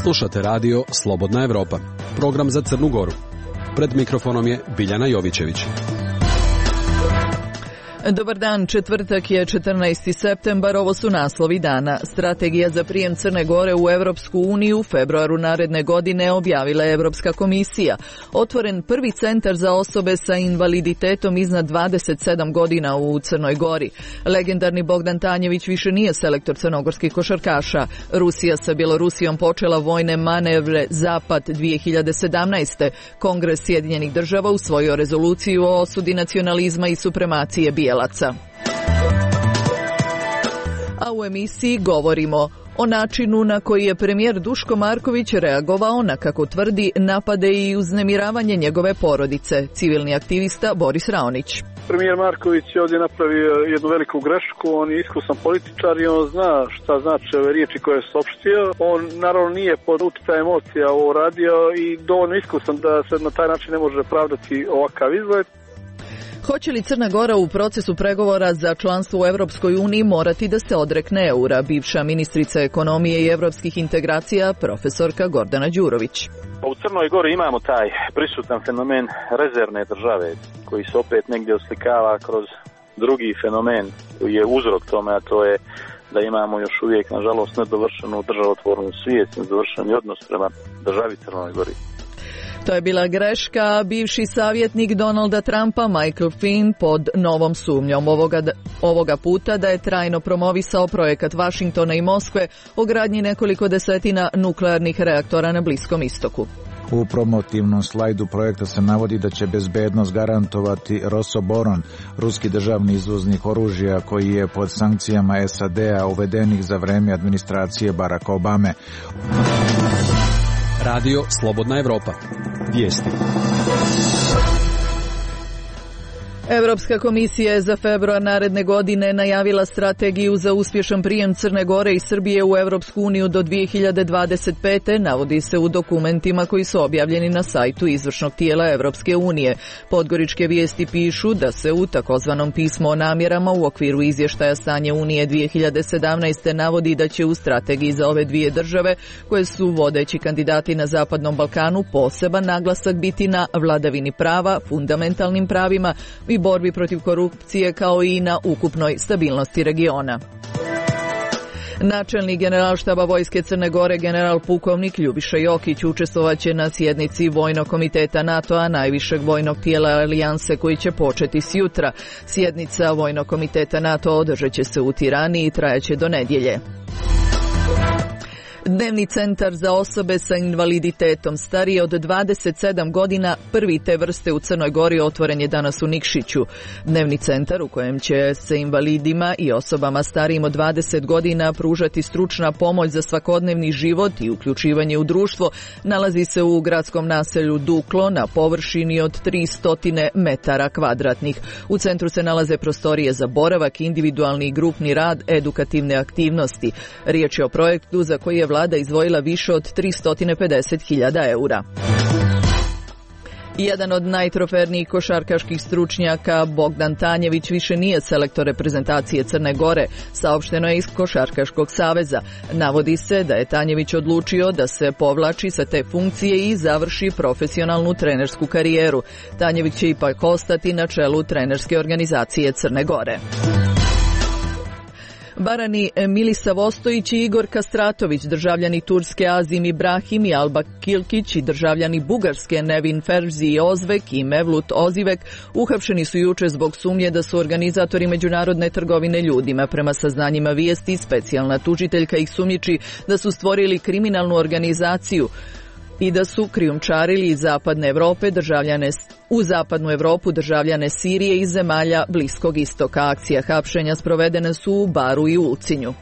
Slušate radio Slobodna Evropa, program za Crnu Goru. Pred mikrofonom je Biljana Jovićević. Dobar dan, četvrtak je 14. septembar, ovo su naslovi dana. Strategija za prijem Crne Gore u Evropsku uniju u februaru naredne godine objavila je Evropska komisija. Otvoren prvi centar za osobe sa invaliditetom iznad 27 godina u Crnoj Gori. Legendarni Bogdan Tanjević više nije selektor crnogorskih košarkaša. Rusija sa Bjelorusijom počela vojne manevre Zapad 2017. Kongres Sjedinjenih država usvojio rezoluciju o osudi nacionalizma i supremacije bijelaca. A u emisiji govorimo o načinu na koji je premijer Duško Marković reagovao na, kako tvrdi, napade i uznemiravanje njegove porodice. Civilni aktivista Boris Raonić. Premijer Marković je ovdje napravio jednu veliku grešku, on je iskusan političar i on zna šta znači ove riječi koje je saopštio. On naravno nije pod utjecajem emocija ovo radio i dovoljno iskusan da se na taj način ne može pravdati ovakav izgled. Hoće li Crna Gora u procesu pregovora za članstvo u Europskoj uniji morati da se odrekne eura? Bivša ministrica ekonomije i evropskih integracija, profesorka Gordana Đurović. U Crnoj Gori imamo taj prisutan fenomen rezervne države koji se opet negdje oslikava kroz drugi fenomen koji je uzrok tome, a to je da imamo još uvijek, nažalost, nedovršenu državotvornu svijest, nedovršeni odnos prema državi Crnoj Gori. To je bila greška. Bivši savjetnik Donalda Trumpa Michael Flynn pod novom sumnjom ovoga puta da je trajno promovisao projekat Vašingtona i Moskve o gradnji nekoliko desetina nuklearnih reaktora na Bliskom istoku. U promotivnom slajdu projekta se navodi da će bezbednost garantovati Rosoboron, ruski državni izvoznik oružja koji je pod sankcijama SAD-a uvedenih za vreme administracije Baracka Obame. Radio Slobodna Evropa. Vijesti. Evropska komisija je za februar naredne godine najavila strategiju za uspješan prijem Crne Gore i Srbije u Evropsku uniju do 2025. Navodi se u dokumentima koji su objavljeni na sajtu izvršnog tijela Evropske unije. Podgoričke vijesti pišu da se u takozvanom pismu o namjerama u okviru izvještaja stanje Unije 2017. navodi da će u strategiji za ove dvije države, koje su vodeći kandidati na Zapadnom Balkanu, poseban naglasak biti na vladavini prava, fundamentalnim pravima i borbi protiv korupcije, kao i na ukupnoj stabilnosti regiona. Načelnik Generalštaba Vojske Crne Gore general pukovnik Ljubiša Jokić učestvovaće na sjednici Vojnog komiteta NATO-a, najvišeg vojnog tijela alijanse, koji će početi s jutra. Sjednica Vojnog komiteta NATO održat će se u Tirani i trajaće do nedjelje. Dnevni centar za osobe sa invaliditetom starije od 27 godina, prvi te vrste u Crnoj Gori, otvoren je danas u Nikšiću. Dnevni centar u kojem će se invalidima i osobama starijim od 20 godina pružati stručna pomoć za svakodnevni život i uključivanje u društvo, nalazi se u gradskom naselju Duklo na površini od 300 metara kvadratnih. U centru se nalaze prostorije za boravak, individualni i grupni rad, edukativne aktivnosti. Riječ je o projektu za koji je vlada izdvojila više od 350.000 eura. Jedan od najtrofernijih košarkaških stručnjaka, Bogdan Tanjević, više nije selektor reprezentacije Crne Gore, saopšteno je iz Košarkaškog saveza. Navodi se da je Tanjević odlučio da se povlači sa te funkcije i završi profesionalnu trenersku karijeru. Tanjević će ipak ostati na čelu trenerske organizacije Crne Gore. Barani Milisa Vostojić i Igor Kastratović, državljani Turske Azim Ibrahim i Alba Kilkić i državljani Bugarske Nevin Ferzi i Ozvek i Mevlut Ozivek uhapšeni su juče zbog sumnje da su organizatori međunarodne trgovine ljudima. Prema saznanjima vijesti, specijalna tužiteljka ih sumnjiči da su stvorili kriminalnu organizaciju i da su krijumčarili iz Zapadne Evrope u Zapadnu Evropu državljane Sirije i zemalja Bliskog istoka. Akcija hapšenja sprovedene su u Baru i Ulcinju.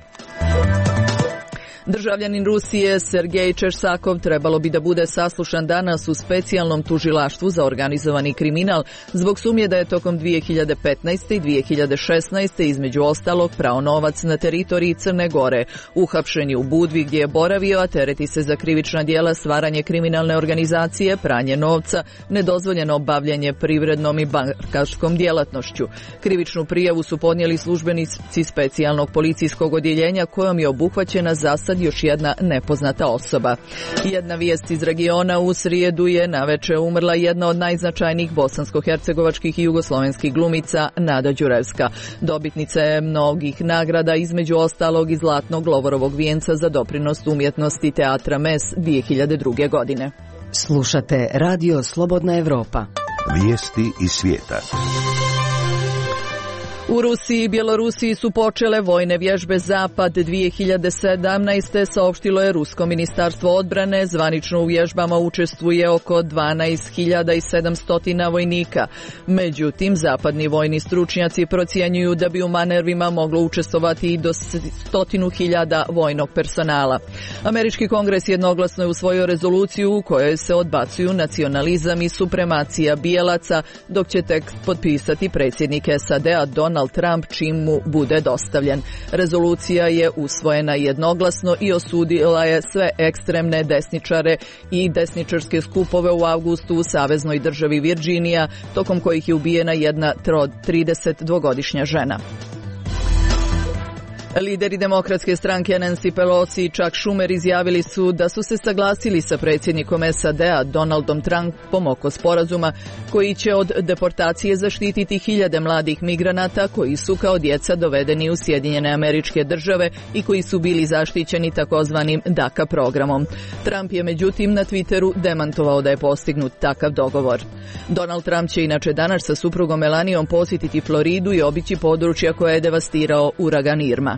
Državljanin Rusije Sergej Čersakov trebalo bi da bude saslušan danas u specijalnom tužilaštvu za organizovani kriminal zbog sumnje da je tokom 2015. i 2016. između ostalog prao novac na teritoriji Crne Gore. Uhapšen je u Budvi gdje je boravio, a tereti se za krivična djela stvaranje kriminalne organizacije, pranje novca, nedozvoljeno bavljenje privrednom i bankarskom djelatnošću. Krivičnu prijavu su podnijeli službenici specijalnog policijskog odjeljenja kojom je obuhvaćena zasad sad još jedna nepoznata osoba. Jedna vijest iz regiona: u srijedu je naveče umrla jedna od najznačajnijih bosansko-hercegovačkih i jugoslovenskih glumica, Nada Đurevska. Dobitnica je mnogih nagrada, između ostalog i Zlatnog Lovorovog vijenca za doprinos umjetnosti teatra MES 2002. godine. Slušate Radio Slobodna Evropa. Vijesti iz svijeta. U Rusiji i Bjelorusiji su počele vojne vježbe Zapad 2017. saopštilo je Rusko ministarstvo odbrane. Zvanično u vježbama učestvuje oko 12.700 vojnika. Međutim, zapadni vojni stručnjaci procjenjuju da bi u manevrima moglo učestvovati i do 100.000 vojnog personala. Američki kongres jednoglasno je usvojio rezoluciju u kojoj se odbacuju nacionalizam i supremacija bijelaca, dok će tekst potpisati predsjednik SAD-a Donald Trump čim mu bude dostavljen. Rezolucija je usvojena jednoglasno i osudila je sve ekstremne desničare i desničarske skupove u avgustu u saveznoj državi Virginija, tokom kojih je ubijena jedna 32-godišnja žena. Lideri demokratske stranke Nancy Pelosi i Chuck Schumer izjavili su da su se saglasili sa predsjednikom SAD-a Donaldom Trumpom oko sporazuma koji će od deportacije zaštititi hiljade mladih migranata koji su kao djeca dovedeni u Sjedinjene Američke Države i koji su bili zaštićeni takozvanim DACA programom. Trump je međutim na Twitteru demantovao da je postignut takav dogovor. Donald Trump će inače danas sa suprugom Melanijom posjetiti Floridu i obići područja koje je devastirao uragan Irma.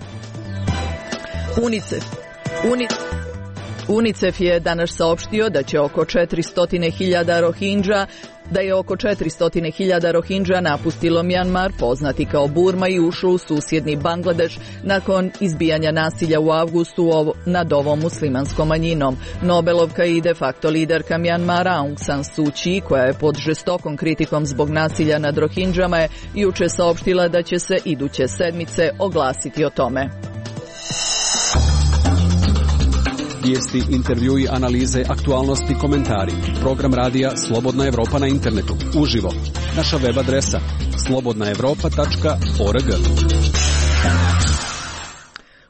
UNICEF je danas saopštio da je oko 400.000 Rohingya napustilo Mjanmar, poznati kao Burma, i ušlo u susjedni Bangladeš nakon izbijanja nasilja u avgustu nad ovom muslimanskom manjinom. Nobelovka i de facto liderka Mjanmara Aung San Suu Kyi, koja je pod žestokom kritikom zbog nasilja nad Rohingyama, je juče saopštila da će se iduće sedmice oglasiti o tome. Vijesti, intervjui, analize, aktualnosti, komentari. Program radija Slobodna Evropa na internetu. Uživo. Naša web adresa slobodnaevropa.org.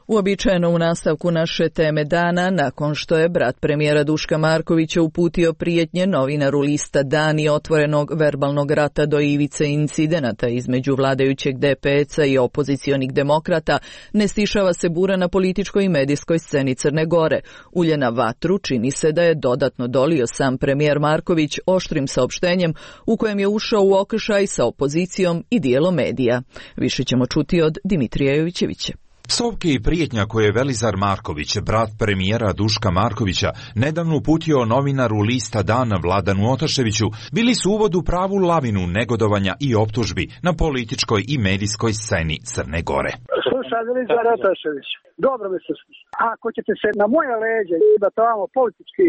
Uobičajeno u nastavku naše teme dana, nakon što je brat premijera Duška Markovića uputio prijetnje novinaru lista Dan i otvorenog verbalnog rata do ivice incidenata između vladajućeg DPS-a i opozicionih demokrata, ne stišava se bura na političkoj i medijskoj sceni Crne Gore. Ulje na vatru čini se da je dodatno dolio sam premijer Marković oštrim saopštenjem u kojem je ušao u okršaj sa opozicijom i dijelom medija. Više ćemo čuti od Dimitrija Jovićevića. Psovke i prijetnja koje je Velizar Marković, brat premijera Duška Markovića, nedavno uputio novinaru lista Dan Vladanu Otaševiću, bili su uvod u pravu lavinu negodovanja i optužbi na političkoj i medijskoj sceni Crne Gore. Slušaj, Velizar Otašević, dobro mi se sluša. Ako ćete se na moje leđe da tamo politički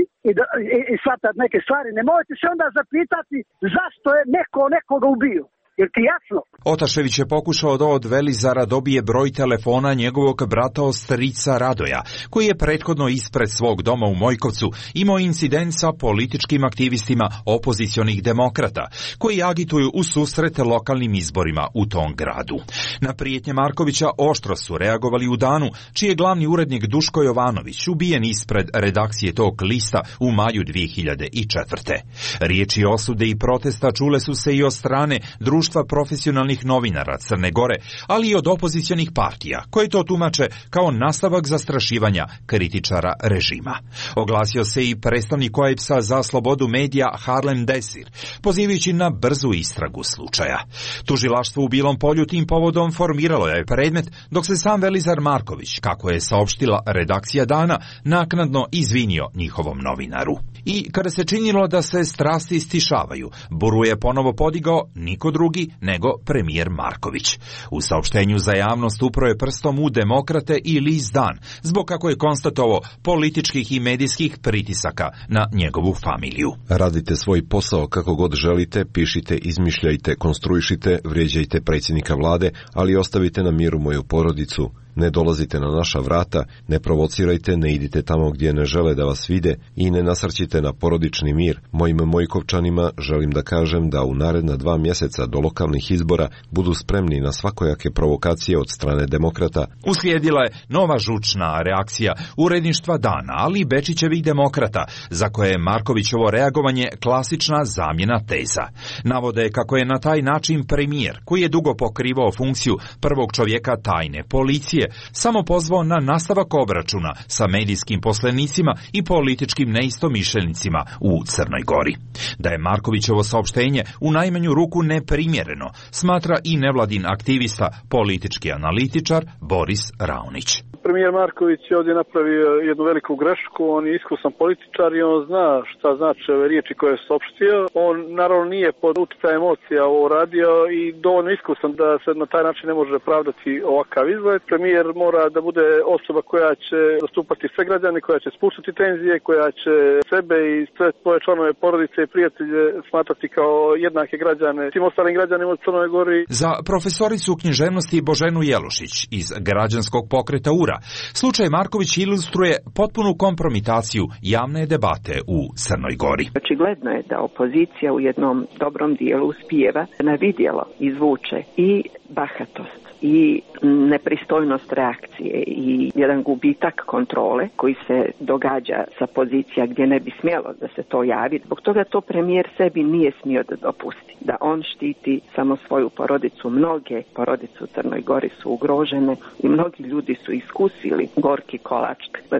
i shvatati neke stvari, nemojte se onda zapitati zašto je neko nekoga ubio. Jer ti jasno? Otašević je pokušao da od Velizara dobije broj telefona njegovog brata ostrica Radoja, koji je prethodno ispred svog doma u Mojkovcu imao incident sa političkim aktivistima opozicionih demokrata, koji agituju u susret lokalnim izborima u tom gradu. Na prijetnje Markovića oštro su reagovali u Danu, čiji je glavni urednik Duško Jovanović ubijen ispred redakcije tog lista u maju 2004. Riječi osude i protesta čule su se i od strane Društva profesionalnih novinara Crne Gore, ali i od opozicionih partija, koje to tumače kao nastavak zastrašivanja kritičara režima. Oglasio se i predstavnik OEBS-a za slobodu medija Harlem Desir, pozivajući na brzu istragu slučaja. Tužilaštvo u Bilom Polju tim povodom formiralo je predmet, dok se sam Velizar Marković, kako je saopštila redakcija Dana, naknadno izvinio njihovom novinaru. I kada se činilo da se strasti stišavaju, buru je ponovo podigao niko drugi nego premijer Marković. U saopštenju za javnost upro je prstom u demokrate i list Dan, zbog, kako je konstatovao, političkih i medijskih pritisaka na njegovu familiju. Radite svoj posao kako god želite, pišite, izmišljajte, konstruišite, vrijeđajte predsjednika vlade, ali ostavite na miru moju porodicu Ne dolazite na naša vrata, ne provocirajte, ne idite tamo gdje ne žele da vas vide i ne nasrćite na porodični mir. Mojim Mojkovčanima želim da kažem da u naredna 2 mjeseca do lokalnih izbora budu spremni na svakojake provokacije od strane demokrata. Uslijedila je nova žučna reakcija uredništva Dana, ali i Bečićevih demokrata, za koje je Markovićevo reagovanje klasična zamjena teza. Navode kako je na taj način premijer, koji je dugo pokrivao funkciju prvog čovjeka tajne policije, samo pozvao na nastavak obračuna sa medijskim poslenicima i političkim neistomišljenicima u Crnoj Gori. Da je Markovićevo saopštenje u najmanju ruku neprimjereno, smatra i nevladin aktivista, politički analitičar Boris Raonić. Premijer Marković je ovdje napravio jednu veliku grešku, on je iskusan političar i on zna šta znači ove riječi koje je saopštio. On naravno nije pod utjecajem emocija ovo radio i dovoljno iskusan da se na taj način ne može pravdati ovakav izgled. Premijer mora da bude osoba koja će zastupati sve građane, koja će spuštati tenzije, koja će sebe i sve svoje članove porodice i prijatelje smatrati kao jednake građane svim ostalim građanima u Crnoj Gori. Za profesoricu književnosti Boženu Jelušić iz Građanskog pokreta URA, slučaj Marković ilustruje potpunu kompromitaciju javne debate u Crnoj Gori. Očigledno je da opozicija u jednom dobrom dijelu uspijeva na vidjelo izvuče i bahatost i nepristojnost reakcije i jedan gubitak kontrole koji se događa sa pozicija gdje ne bi smjelo da se to javi. Zbog toga to premijer sebi nije smio da dopusti. Da on štiti samo svoju porodicu. Mnoge porodice u Crnoj Gori su ugrožene i mnogi ljudi su iskusili gorki kolač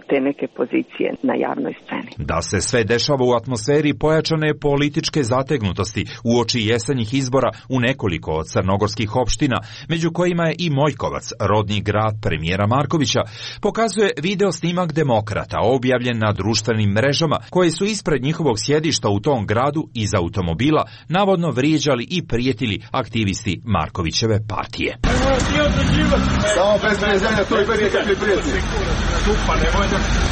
te neke pozicije na javnoj sceni. Da se sve dešava u atmosferi pojačane političke zategnutosti uoči jesenjih izbora u nekoliko od crnogorskih opština, među kojima je i Mojkovac, rodni grad premijera Markovića, pokazuje video snimak demokrata objavljen na društvenim mrežama koje su ispred njihovog sjedišta u tom gradu iz automobila navodno vrijeđali i prijetili aktivisti Markovićeve partije. Samo bez vrijeđanja, to je bez nekakve prijeti.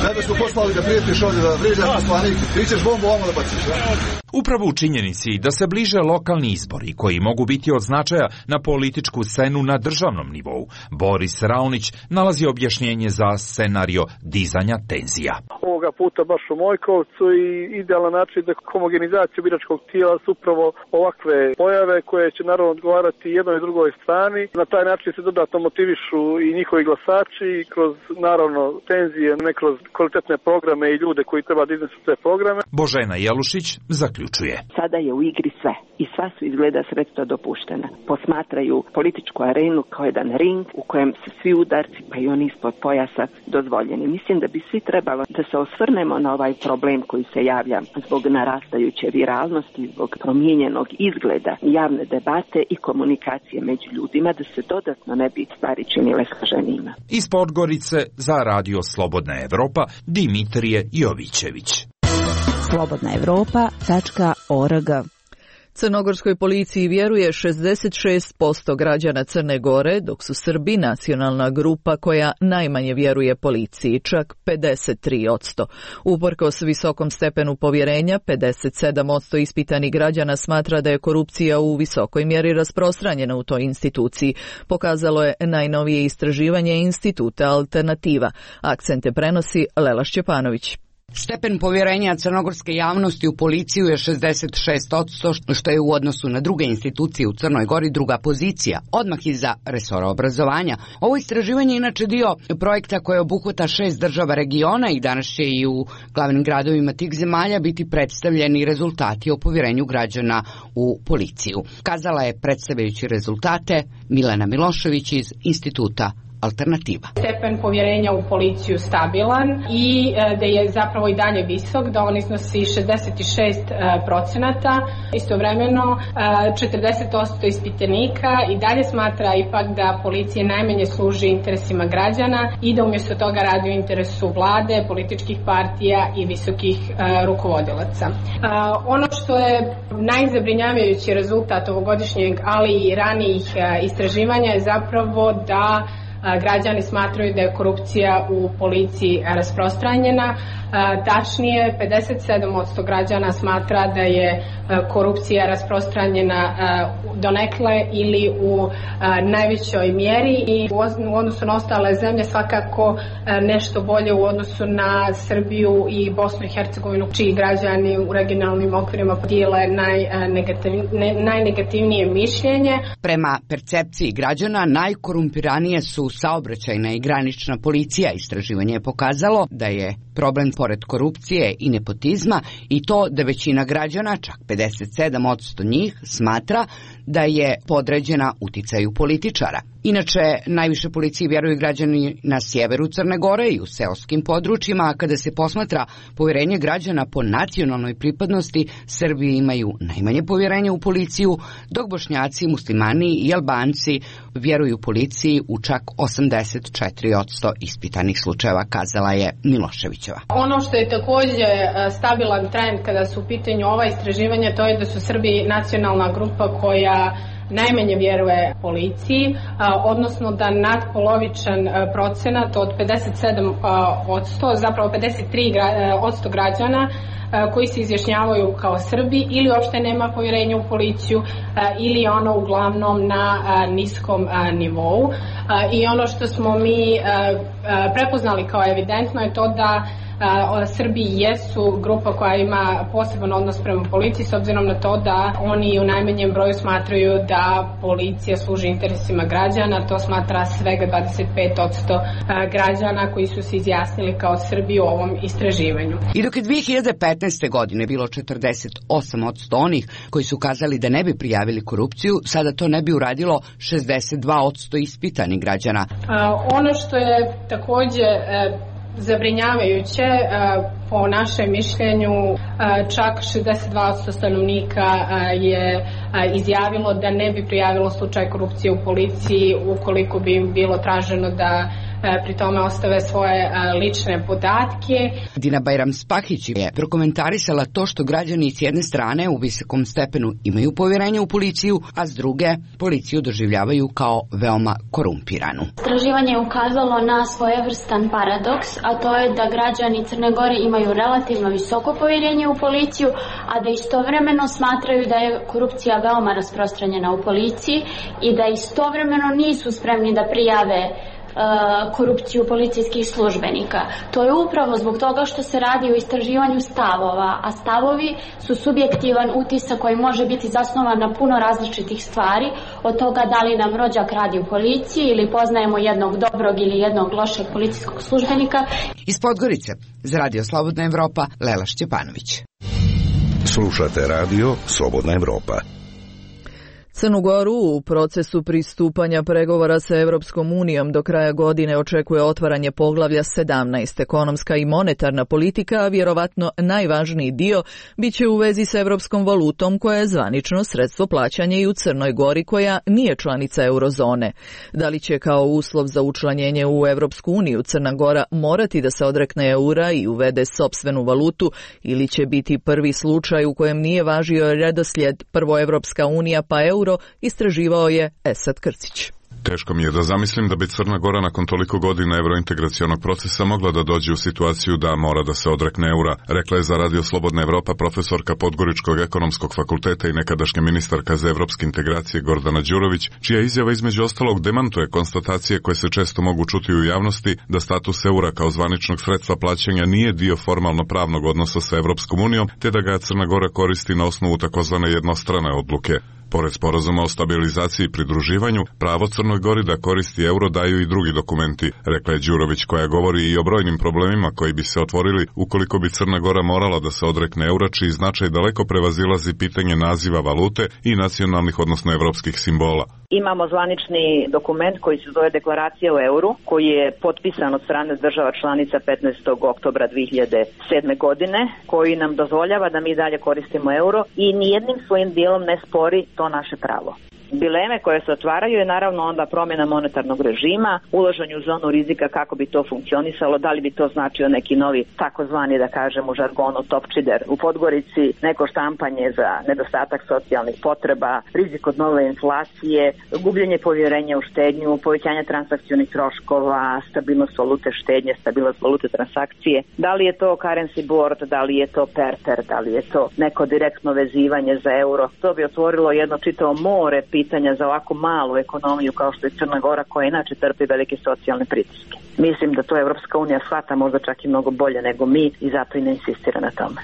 Zato smo poslali da prijetiš ovdje da vrijeđaš poslanik, ti ćeš bombu ovamo da baciš. Upravo u činjenici da se bliže lokalni izbori koji mogu biti od značaja na političku scenu na državnom nivou, Boris Raonić nalazi objašnjenje za scenario dizanja tenzija. Ovoga puta baš u Mojkovcu i idealan način za homogenizaciju biračkog tijela su upravo ovakve pojave koje će naravno odgovarati jednoj i drugoj strani. Na taj način se dodatno motivišu i njihovi glasači kroz naravno tenzije, ne kroz kvalitetne programe i ljude koji treba da iznesu te programe. Božena Jelušić zaključuje. Sada je u igri sve i sva su izgleda sredstva dopuštena. Posmatraju političku arenu kao jedan ring u kojem su svi udarci, pa i oni ispod pojasa, dozvoljeni. Mislim da bi svi trebalo da se osvrnemo na ovaj problem koji se javlja zbog narastajuće viralnosti, zbog promijenjenog izgleda javne debate i komunikacije među ljudima, da se dodatno ne bi stvari činile složenijima. Iz Podgorice za Radio Slobodna Evropa, Dimitrije Jovićević. slobodnaevropa.org. Crnogorskoj policiji vjeruje 66% građana Crne Gore, dok su Srbi nacionalna grupa koja najmanje vjeruje policiji, čak 53%. Uprkos visokom stepenu povjerenja, 57% ispitanih građana smatra da je korupcija u visokoj mjeri rasprostranjena u toj instituciji, pokazalo je najnovije istraživanje instituta Alternativa. Akcente prenosi Lela Šćepanović. Stepen povjerenja crnogorske javnosti u policiju je 66%, što je u odnosu na druge institucije u Crnoj Gori druga pozicija, odmah iza resora obrazovanja. Ovo istraživanje je inače dio projekta koje obuhvata 6 država regiona i danas će i u glavnim gradovima tih zemalja biti predstavljeni rezultati o povjerenju građana u policiju. Kazala je predstavljajući rezultate Milena Milošević iz instituta Alternativa. Stepen povjerenja u policiju stabilan i da je zapravo i dalje visok, da on iznosi 66%. Istovremeno 40% ispitanika i dalje smatra ipak da policija najmanje služi interesima građana i da umjesto toga radi u interesu vlade, političkih partija i visokih rukovodilaca. Ono što je najzabrinjavajući rezultat ovogodišnjeg, ali i ranijih istraživanja je zapravo da građani smatraju da je korupcija u policiji rasprostranjena. Tačnije, 57% građana smatra da je korupcija rasprostranjena donekle ili u najvećoj mjeri i u odnosu na ostale zemlje svakako nešto bolje u odnosu na Srbiju i Bosnu i Hercegovinu, čiji građani u regionalnim okvirima podijele najnegativnije mišljenje. Prema percepciji građana, najkorumpiranije su saobraćajna i granična policija. Istraživanje je pokazalo da je problem pored korupcije i nepotizma i to da većina građana, čak 57% njih, smatra da je podređena uticaju političara. Inače, najviše policiji vjeruju građani na sjeveru Crne Gore i u seoskim područjima, a kada se posmatra povjerenje građana po nacionalnoj pripadnosti, Srbi imaju najmanje povjerenje u policiju, dok Bošnjaci, Muslimani i Albanci vjeruju policiji u čak 84% ispitanih slučajeva, kazala je Miloševićeva. Ono što je također stabilan trend kada su u pitanju ova istraživanja, to je da su Srbi nacionalna grupa koja najmanje vjeruje policiji, odnosno da nadpolovičan procenat od 57%, zapravo 53% građana koji se izjašnjavaju kao Srbi ili uopšte nema povjerenja u policiju ili ono uglavnom na niskom nivou. I ono što smo mi prepoznali kao evidentno je to da Srbi jesu grupa koja ima poseban odnos prema policiji s obzirom na to da oni u najmanjem broju smatraju da policija služi interesima građana. To smatra svega 25% građana koji su se izjasnili kao Srbi u ovom istraživanju. I dok je 2015. godine bilo 48% onih koji su kazali da ne bi prijavili korupciju, sada to ne bi uradilo 62% ispitanih građana. Ono što je također zabrinjavajuće, po našem mišljenju čak 62% stanovnika je izjavilo da ne bi prijavilo slučaj korupcije u policiji ukoliko bi im bilo traženo da pri tome ostave svoje lične podatke. Dina Bajram-Spahić je prokomentarisala to što građani s jedne strane u visokom stepenu imaju povjerenje u policiju, a s druge policiju doživljavaju kao veoma korumpiranu. Istraživanje je ukazalo na svojevrstan paradoks, a to je da građani Crne Gore imaju relativno visoko povjerenje u policiju, a da istovremeno smatraju da je korupcija veoma rasprostranjena u policiji i da istovremeno nisu spremni da prijave korupciju policijskih službenika. To je upravo zbog toga što se radi o istraživanju stavova, a stavovi su subjektivan utisak koji može biti zasnovan na puno različitih stvari, od toga da li nam rođak radi u policiji ili poznajemo jednog dobrog ili jednog lošeg policijskog službenika. Iz Podgorice, za Radio Slobodna Evropa, Lela Šćepanović. Slušate Radio Slobodna Evropa. Crnu Goru u procesu pristupanja pregovora sa Evropskom unijom do kraja godine očekuje otvaranje poglavlja 17. Ekonomska i monetarna politika, a vjerovatno najvažniji dio biće u vezi sa evropskom valutom koja je zvanično sredstvo plaćanja i u Crnoj Gori koja nije članica eurozone. Da li će kao uslov za učlanjenje u Evropsku uniju Crna Gora morati da se odrekne eura i uvede sopstvenu valutu ili će biti prvi slučaj u kojem nije važio redoslijed prvo Evropska unija pa euro, istraživao je Esad Krcić. Teško mi je da zamislim da bi Crna Gora nakon toliko godina evrointegracionog procesa mogla da dođe u situaciju da mora da se odrekne eura, rekla je za Radio Slobodna Evropa profesorka Podgoričkog ekonomskog fakulteta i nekadašnja ministarka za evropske integracije Gordana Đurović, čija izjava između ostalog demantuje konstatacije koje se često mogu čuti u javnosti da status eura kao zvaničnog sredstva plaćanja nije dio formalno pravnog odnosa sa Evropskom unijom, te da ga Crna Gora koristi na osnovu takozvane jednostrane odluke. Pored sporazuma o stabilizaciji i pridruživanju, pravo Crnoj Gori da koristi euro daju i drugi dokumenti, rekla je Đurović, koja govori i o brojnim problemima koji bi se otvorili ukoliko bi Crna Gora morala da se odrekne eura, čiji značaj daleko prevazilazi pitanje naziva valute i nacionalnih, odnosno evropskih simbola. Imamo zvanični dokument koji se zove Deklaracija o euru, koji je potpisan od strane država članica 15. oktobra 2007. godine, koji nam dozvoljava da mi dalje koristimo euro i nijednim svojim dijelom ne spori to naše pravo. Dileme koje se otvaraju je naravno onda promjena monetarnog režima, ulaženje u zonu rizika kako bi to funkcionisalo, da li bi to značio neki novi takozvani, da kažem u žargonu, topčider u Podgorici, neko štampanje za nedostatak socijalnih potreba, rizik od nove inflacije, gubljenje povjerenja u štednju, povećanje transakcionih troškova, stabilnost valute štednje, stabilnost valute transakcije. Da li je to currency board, da li je to perter, da li je to neko direktno vezivanje za euro. To bi otvorilo jedno čitavo more pitanja za ovako malu ekonomiju kao što je Crna Gora, koja inače trpi velike socijalne pritiske. Mislim da to Evropska unija shvata možda čak i mnogo bolje nego mi i zato i ne insistira na tome.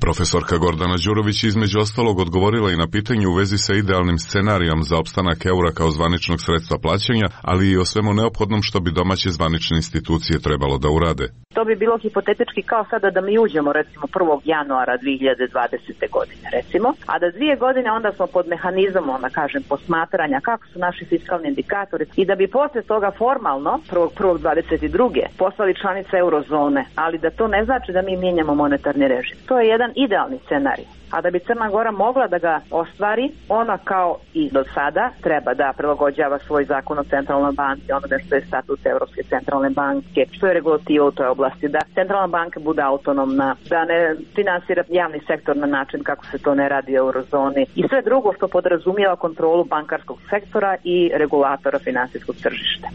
Profesorka Gordana Đurović između ostalog odgovorila i na pitanje u vezi sa idealnim scenarijom za opstanak eura kao zvaničnog sredstva plaćanja, ali i o svemu neophodnom što bi domaće zvanične institucije trebalo da urade. To bi bilo hipotetički kao sada da mi uđemo recimo 1. januara 2020. godine recimo, a da 2 godine onda smo pod mehanizmom, da kažem, posmatranja kako su naši fiskalni indikatori i da bi posle toga formalno 1.1.22. postali članice eurozone, ali da to ne znači da mi mijenjamo monetarni režim. To je jedan idealni scenarij. A da bi Crna Gora mogla da ga ostvari, ona kao i do sada treba da prilagođava svoj zakon o centralnoj banci, onome što je statut Evropske centralne banke, što je regulativa u toj oblasti, da centralna banka bude autonomna, da ne finansira javni sektor na način kako se to ne radi u eurozoni i sve drugo što podrazumijeva kontrolu bankarskog sektora i regulatora finansijskog tržišta.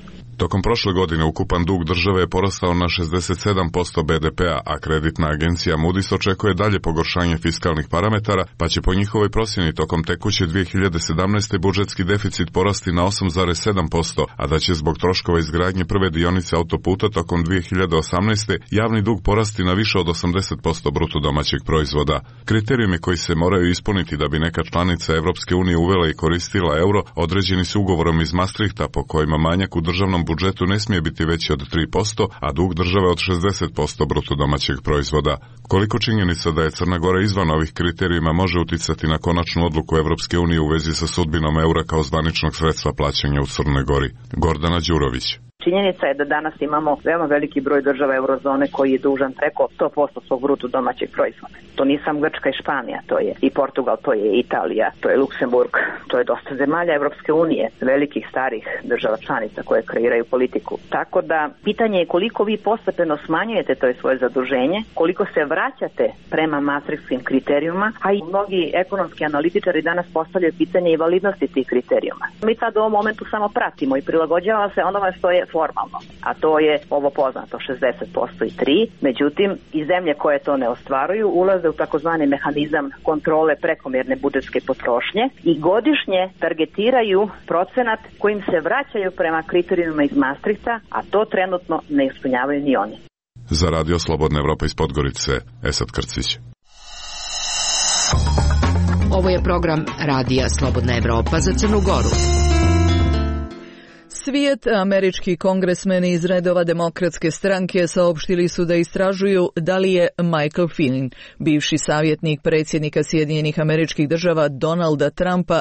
Tokom prošle godine ukupan dug države je porastao na 67% BDP-a, a kreditna agencija Moody's očekuje dalje pogoršanje fiskalnih parametara, pa će po njihovoj procjeni tokom tekuće 2017. budžetski deficit porasti na 8,7%, a da će zbog troškova izgradnje prve dionice autoputa tokom 2018. javni dug porasti na više od 80% bruto domaćeg proizvoda. Kriterijumi koji se moraju ispuniti da bi neka članica Evropske unije uvela i koristila euro određeni su ugovorom iz Maastrichta po kojima manjak u državnom budžetu ne smije biti veći od 3%, a dug države od 60% bruto domaćeg proizvoda. Koliko činjenica da je Crna Gora izvan ovih kriterijuma može uticati na konačnu odluku Evropske unije u vezi sa sudbinom eura kao zvaničnog sredstva plaćanja u Crnoj Gori? Gordana Đurović. Činjenica je da danas imamo veoma veliki broj država eurozone koji je dužan preko 100% svog bruto domaćeg proizvoda. To nije samo Grčka i Španija, to je i Portugal, to je Italija, to je Luksemburg, to je dosta zemalja Evropske unije, velikih starih država članica koje kreiraju politiku. Tako da pitanje je koliko vi postepeno smanjujete to svoje zaduženje, koliko se vraćate prema maastrichtskim kriterijuma, a i mnogi ekonomski analitičari danas postavljaju pitanje i validnosti tih kriterijuma. Mi sad u ovom momentu samo pratimo i prilagođavamo se onome što je formalno, a to je ovo poznato 60% i 3, međutim i zemlje koje to ne ostvaruju ulaze u takozvani mehanizam kontrole prekomjerne budžetske potrošnje i godišnje targetiraju procenat kojim se vraćaju prema kriterijumima iz Maastrichta, a to trenutno ne ispunjavaju ni oni. Za Radio Slobodna Evropa iz Podgorice, Esad Krcić. Ovo je program Radija Slobodna Evropa za Crnu Goru. Svijet, američki kongresmeni iz redova Demokratske stranke saopštili su da istražuju da li je Michael Flynn, bivši savjetnik predsjednika Sjedinjenih Američkih Država Donalda Trumpa,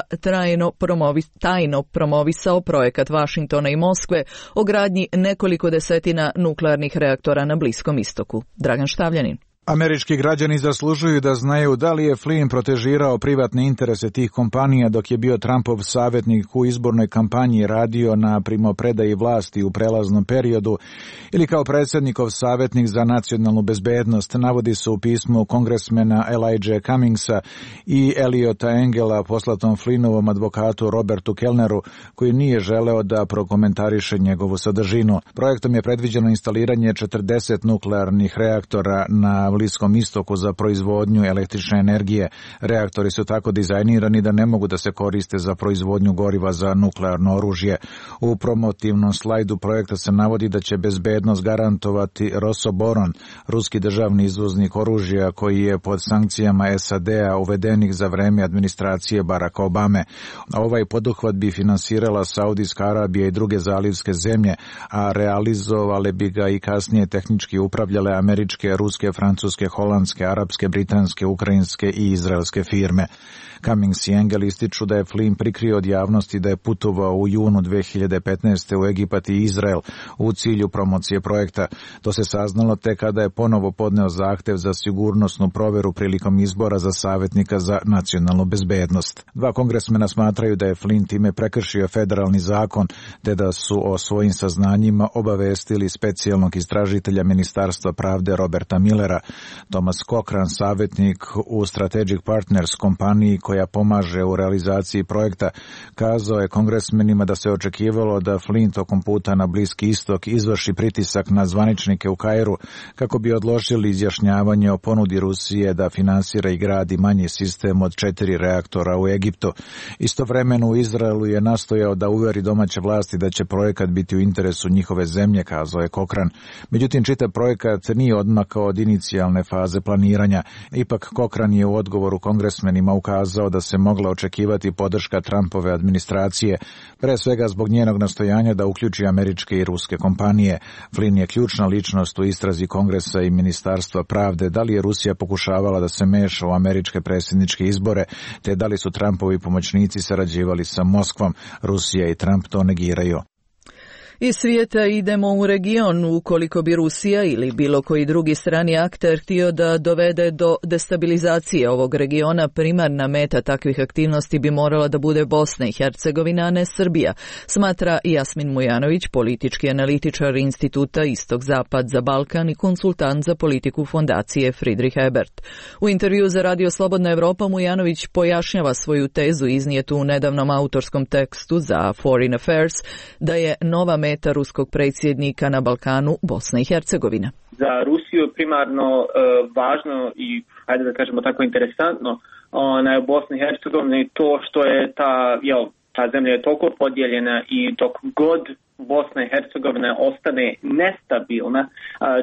tajno promovisao projekat Vašingtona i Moskve o gradnji nekoliko desetina nuklearnih reaktora na Bliskom istoku. Dragan Štavljanin. Američki građani zaslužuju da znaju da li je Flynn protežirao privatne interese tih kompanija dok je bio Trumpov savjetnik u izbornoj kampanji, radio na primopredaji vlasti u prelaznom periodu ili kao predsjednikov savjetnik za nacionalnu bezbednost, navodi se u pismu kongresmena Elijah Cummingsa i Eliota Engela poslatom Flynnovom advokatu Robertu Kellneru, koji nije želeo da prokomentariše njegovu sadržinu. Projektom je predviđeno instaliranje 40 nuklearnih reaktora na Bliskom istoku za proizvodnju električne energije. Reaktori su tako dizajnirani da ne mogu da se koriste za proizvodnju goriva za nuklearno oružje. U promotivnom slajdu projekta se navodi da će bezbednost garantovati Rosoboron, ruski državni izvoznik oružja koji je pod sankcijama SAD-a uvedenih za vreme administracije Baracka Obame. Ovaj poduhvat bi finansirala Saudijska Arabija i druge zalivske zemlje, a realizovale bi ga i kasnije tehnički upravljale američke, ruske, francuske francuske, holandske, arapske, britanske, ukrajinske i izraelske firme. Cummings i Engel ističu da je Flynn prikrio od javnosti da je putovao u junu 2015. u Egipat i Izrael u cilju promocije projekta. To se saznalo tek kada je ponovo podneo zahtev za sigurnosnu proveru prilikom izbora za savjetnika za nacionalnu bezbednost. Dva kongresmena smatraju da je Flynn time prekršio federalni zakon, te da su o svojim saznanjima obavestili specijalnog istražitelja Ministarstva pravde Roberta Millera. Thomas Cochran, savjetnik u Strategic Partners kompaniji koja pomaže u realizaciji projekta, kazao je kongresmenima da se očekivalo da Flynn tokom puta na Bliski istok izvrši pritisak na zvaničnike u Kairu kako bi odložili izjašnjavanje o ponudi Rusije da finansira i gradi manji sistem od 4 reaktora u Egiptu. Istovremeno u Izraelu je nastojao da uveri domaće vlasti da će projekat biti u interesu njihove zemlje, kazao je Cochran. Međutim, čitav projekat nije odmakao od inicijalne faze planiranja. Ipak Cochran je u odgovoru kongresmenima ukazao da se mogla očekivati podrška Trumpove administracije, pre svega zbog njenog nastojanja da uključi američke i ruske kompanije. Flynn je ključna ličnost u istrazi Kongresa i Ministarstva pravde da li je Rusija pokušavala da se meša u američke predsjedničke izbore, te da li su Trumpovi pomoćnici sarađivali sa Moskvom. Rusija i Trump to negiraju. Iz svijeta idemo u region. Ukoliko bi Rusija ili bilo koji drugi strani akter htio da dovede do destabilizacije ovog regiona, primarna meta takvih aktivnosti bi morala da bude Bosna i Hercegovina, a ne Srbija, smatra Jasmin Mujanović, politički analitičar Instituta Istok-Zapad za Balkan i konsultant za politiku fondacije Friedrich Ebert. U intervju za Radio Slobodna Evropa Mujanović pojašnjava svoju tezu iznijetu u nedavnom autorskom tekstu za Foreign Affairs da je nova meta ruskog predsjednika na Balkanu Bosna i Hercegovina. Za Rusiju je primarno važno i, hajde da kažemo tako, interesantno na Bosni i Hercegovini to što je ta zemlja je toliko podijeljena i dok god Bosna i Hercegovina ostane nestabilna,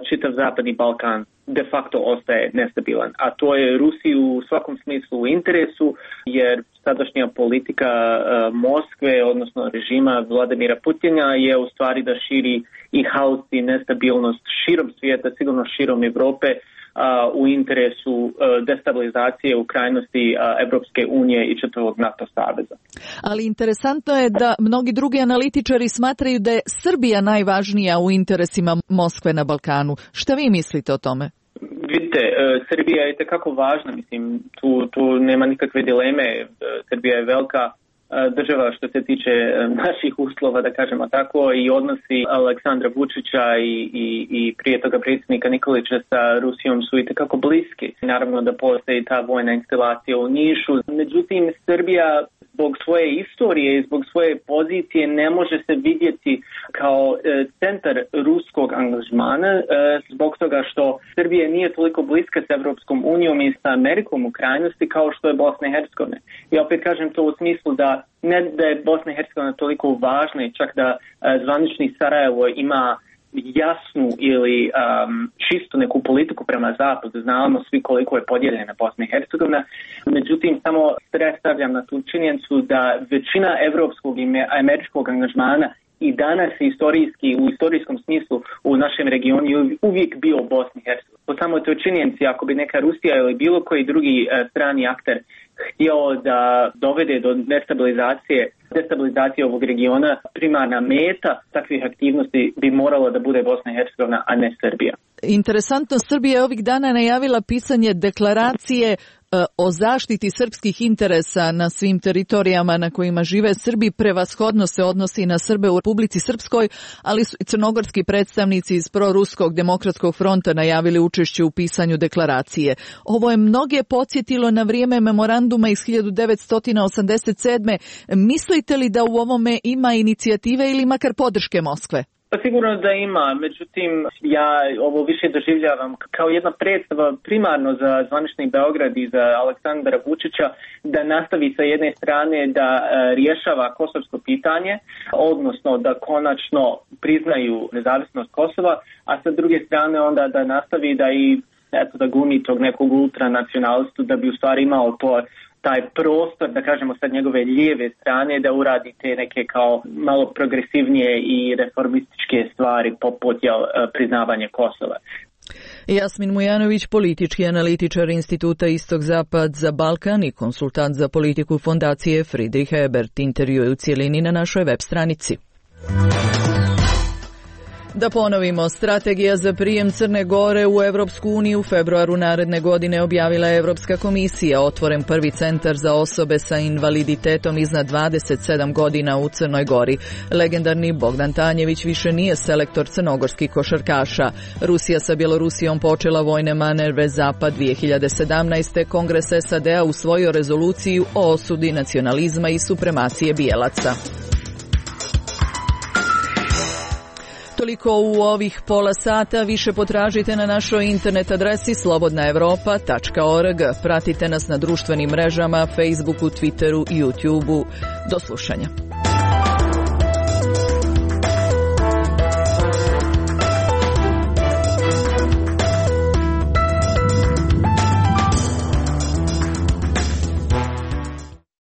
čitav Zapadni Balkan de facto ostaje nestabilan. A to je Rusiji u svakom smislu u interesu, jer sadašnja politika Moskve, odnosno režima Vladimira Putina, je u stvari da širi i haos i nestabilnost širom svijeta, sigurno širom Europe, u interesu destabilizacije u krajnosti Evropske unije i čitavog NATO saveza. Ali interesantno je da mnogi drugi analitičari smatraju da je Srbija najvažnija u interesima Moskve na Balkanu. Šta vi mislite o tome? Vidite, Srbija je itekako važna, mislim, tu nema nikakve dileme. Srbija je velika država što se tiče naših uslova, da kažemo tako, i odnosi Aleksandra Vučića i prije toga predsjednika Nikolića sa Rusijom su itekako bliski. Naravno da postoji ta vojna instalacija u Nišu. Međutim, Srbija zbog svoje istorije i zbog svoje pozicije ne može se vidjeti kao centar ruskog angažmana zbog toga što Srbija nije toliko bliska s Evropskom unijom i sa Amerikom u krajnosti kao što je Bosna i Hercegovina. Ja opet kažem to u smislu da ne da je Bosna i Hercegovina toliko važna i čak da zvanični Sarajevo ima jasnu ili čistu neku politiku prema zapadu. Znamo svi koliko je podijeljena Bosna i Hercegovina. Međutim, samo stavljam na tu činjenicu da većina evropskog i američkog angažmana i danas istorijski, u istorijskom smislu u našem regionu je uvijek bio u Bosni i Hercegovini. Po samoj toj činjenici, ako bi neka Rusija ili bilo koji drugi strani akter htio da dovede do destabilizacije ovog regiona, primarna meta takvih aktivnosti bi morala da bude Bosna i Hercegovina, a ne Srbija. Interesantno, Srbija je ovih dana najavila pisanje deklaracije o zaštiti srpskih interesa na svim teritorijama na kojima žive Srbi. Prevashodno se odnosi na Srbe u Republici Srpskoj, ali su i crnogorski predstavnici iz proruskog demokratskog fronta najavili učešće u pisanju deklaracije. Ovo je mnoge podsjetilo na vrijeme memoranduma iz 1987. Mislite li da u ovome ima inicijative ili makar podrške Moskve? Pa sigurno da ima, međutim ja ovo više doživljavam kao jedna predstava primarno za zvanični Beograd i za Aleksandra Vučića da nastavi sa jedne strane da rješava kosovsko pitanje, odnosno da konačno priznaju nezavisnost Kosova, a sa druge strane onda da nastavi da gumi tog nekog ultranacionalistu da bi u stvari imao taj prostor, da kažemo sad njegove lijeve strane, da uradi te neke kao malo progresivnije i reformističke stvari poput priznavanje Kosova. Jasmin Mujanović, politički analitičar Instituta Istok-Zapad za Balkan i konsultant za politiku fondacije Friedrich Ebert, intervjuje u cijelini na našoj web stranici. Da ponovimo, strategija za prijem Crne Gore u Evropsku uniju u februaru naredne godine objavila je Evropska komisija, otvoren prvi centar za osobe sa invaliditetom iznad 27 godina u Crnoj Gori. Legendarni Bogdan Tanjević više nije selektor crnogorskih košarkaša. Rusija sa Bjelorusijom počela vojne manevrve Zapad 2017. Kongres SAD-a usvojio rezoluciju o osudi nacionalizma i supremacije bijelaca. Toliko u ovih pola sata, više potražite na našoj internet adresi slobodnaevropa.org. Pratite nas na društvenim mrežama, Facebooku, Twitteru i YouTubeu. Do slušanja.